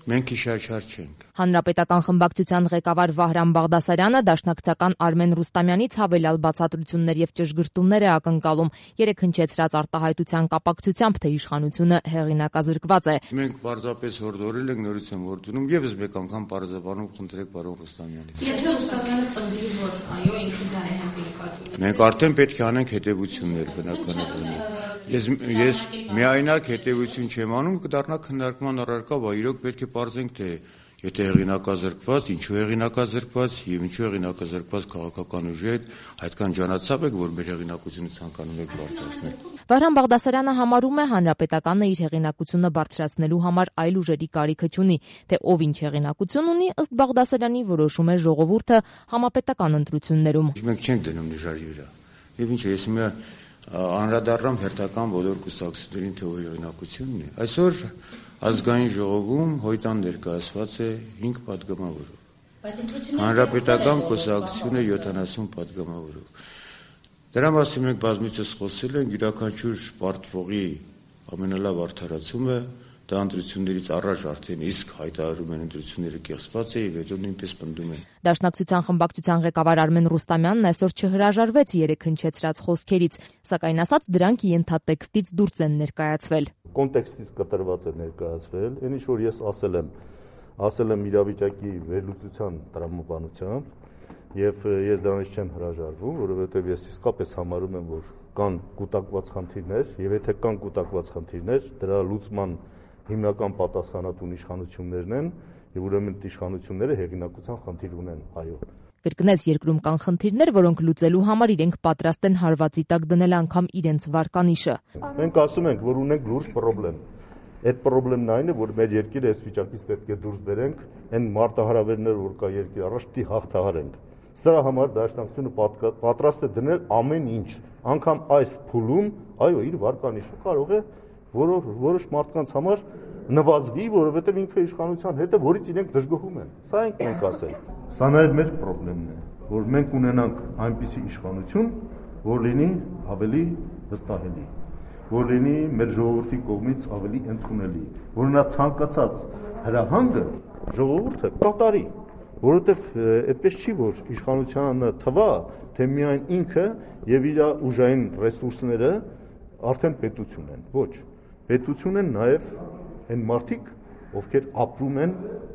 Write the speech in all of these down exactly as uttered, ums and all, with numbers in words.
Մենք իշաչար չենք։ Հանրապետական խմբակցության ղեկավար Վահրամ Բաղդասարյանը դաշնակցական Արմեն Ռուստամյանից հավելյալ բացատրություններ եւ ճշգրտումներ է ակնկալում, երեք հնչեցրած արտահայտության կապակցությամբ, թե իշխանությունը հեղինակազրկված է։ Մենք պարզապես հորդորել ենք, նորից եմ հորդորում, եւս մեկ անգամ պարզաբանում խնդրեք պարոն Ռուստամյանից։ Եթե Ռուստամյանը պնդի, որ այո, ինքը դա է հենց իր նկատի։ Մենք արդեն պետք է անենք հետևություններ բնականաբար։ Ես ես միայնակ հետևություն չեմ անում, կդառնա քննարկման առարկա, բայց իրոք պետք է պարզենք, թե եթե հեղինակազրկված, ինչու հեղինակազրկված եւ ինչու հեղինակազրկված քաղաքական ուժի հետ այդքան ջանացավ եք, որ մեր հեղինակությունը ցանկանում եք բարձրացնել։ Վահրամ Բաղդասարյանը համարում է, հանրապետականը իր հեղինակությունը բարձրացնելու համար այլ ուժերի կարիքը չունի, թե ով ինչ հեղինակություն ունի, ըստ Բաղդասարյանի որոշում է ժողովուրդը համապետական ընտրություններում։ Մենք չենք դնում նժարի վրա։ Եվ ինչ է, ես մի անդրադառնամ հերթական բոլոր կուսակցություններին, թե ով հեղինակությունն է։ Այսօր ազգային ժողովում հոյտան ներկայացված է հինգ պատգամավորով։ Հանրապետական կուսակցությունը յոթանասուն պատգամավորով։ Դրա մասին մենք բազմիցս խոսել ենք, յուրաքանչյուր պարտվողի ամենալավ արդարացումը դա ընտրություններից առաջ արդեն իսկ հայտարարում են ընտրությունները կեղծված է եւ հետո նույնպես պնդում են։ Դաշնակցության խմբակցության ղեկավար Արմեն Ռուստամյանն այսօր չհրաժարվեց երեք հնչեցրած խոսքերից, սակայն ասաց, դրանք ենթատեքստից դուրս են ներկայացվել։ Կոնտեքստից կտրված է ներկայացվել, այն ինչ որ ես ասել եմ, ասել եմ իրավիճակի վերլուծության տրամաբանությամբ եւ ես դրանից չեմ հրաժարվում, որովհետեւ ես իսկապես համարում եմ, որ կան կուտակված խնդիրներ եւ եթե կան կուտակված խնդիրներ, դրա լուծման հիմնական պատասխանատուն իշխանություններն են եւ ուրեմն իշխանությունները հեղինակության խնդիր ունեն, այո։ Կրկնեց, երկրում կան խնդիրներ, որոնք լուծելու համար իրենք պատրաստ են հարվածի տակ դնել անգամ իրենց վարկանիշը։ Մենք ասում ենք, որ ունենք լուրջ խնդրեմ։ Այդ խնդրեմն այն է, որ մեր երկիրը այս վիճակից պետք է դուրս բերենք, այն մարտահրավերները, որ կա երկրի առաջ, դի հաղթահարենք։ Սրա համար դաշնակցությունը պատրաստ է դնել ամեն ինչ, անգամ այս փուլում, այո, իր վարկանիշը կարող է որով որոշ մարդկանց համար նվազվի, որովհետև ինքը իշխանության հետ է, որից իրենք դժգոհում են։ Սա ենք մենք ասել։ Սա նաև մեր խնդիրն է, որ մենք ունենանք այնպիսի իշխանություն, որ լինի ավելի վստահելի, որ լինի մեր ժողովրդի կողմից ավելի ընդունելի, որ նա ցանկացած հրահանգը ժողովուրդը կատարի, որովհետև այդպես չի, որ իշխանությանը թվա, թե միայն ինքը եւ իր ուժային ռեսուրսները արդեն պետություն են։ Ոչ, պետություն են նաև այն մարդիկ, ովքեր ապրում են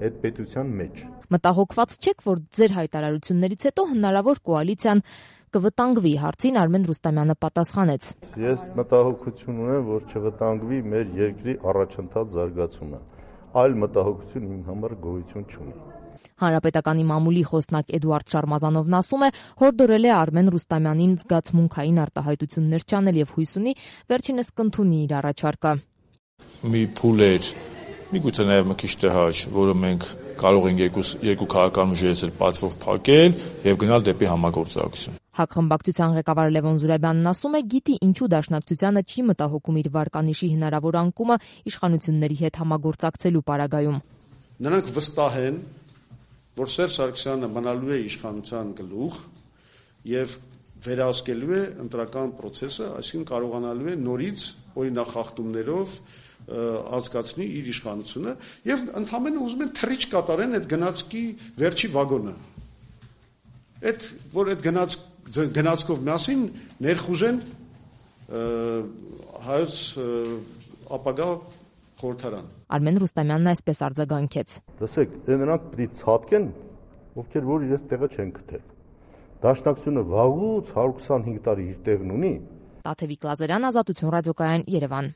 այդ պետության մեջ։ Մտահոգված չեք, որ ձեր հայտարարություններից հետո հնարավոր կոալիցիան կվտանգվի, հարցին Արմեն Ռուստամյանը պատասխանեց։ Ես մտահոգություն ունեմ, որ չվտանգվի մեր երկրի առաջընթաց զարգացումը։ Այլ մտահոգություն իմ համար գոյություն չունի։ Հանրապետականի մամուլի խոսնակ Էդուարդ Շարմազանովն ասում է, հորդորել է Արմեն Ռուստամյանին զգացմունքային արտահայտություններ չանել եւ հույս ունի վերջինս կընդունի իր առաջարկը։ Մի փուլ էր, միգուցե նաեւ մի քիչ տհաճ, որը մենք կարող ենք երկու երկու քաղաքական ուժերից էլ պատվով փակել եւ գնալ դեպի համագործակցություն։ ՀԱԿ խմբակցության ղեկավար Լևոն Զուրաբյանն ասում է, գիտի ինչու դաշնակցությանը չի մտահոգում իր վարկանիշի հնարավոր անկումը իշխանությունների հետ համագործակցելու պարագայում։ Նրանք վստահ են, որ Սերժ Սարգսյանը մնալու է իշխանության գլուխ եւ վերահսկելու է ընտրական process-ը, այսինքն կարողանալու է նորից օրինախախտումներով ազգացնի իր իշխանությունը եւ ընդհանրապես ուզում են թռիչ կատարեն այդ գնացքի վերջի վագոնը։ Այդ որ այդ գնաց գնացքով միասին ներխուժեն հայոց ապագա խորհրդարան։ Արմեն Ռուստամյանն այսպես արձագանքեց։ Լսեք, դե նրանք պիտի ցածկեն, ովքեր որ իրենց տեղը չեն գտել։ Դաշնակցությունը վաղուց հարյուր քսանհինգ տարի իր տեղն ունի։ Տաթևիկ Լազարյան, Ազատություն ռադիոկայան, Երևան։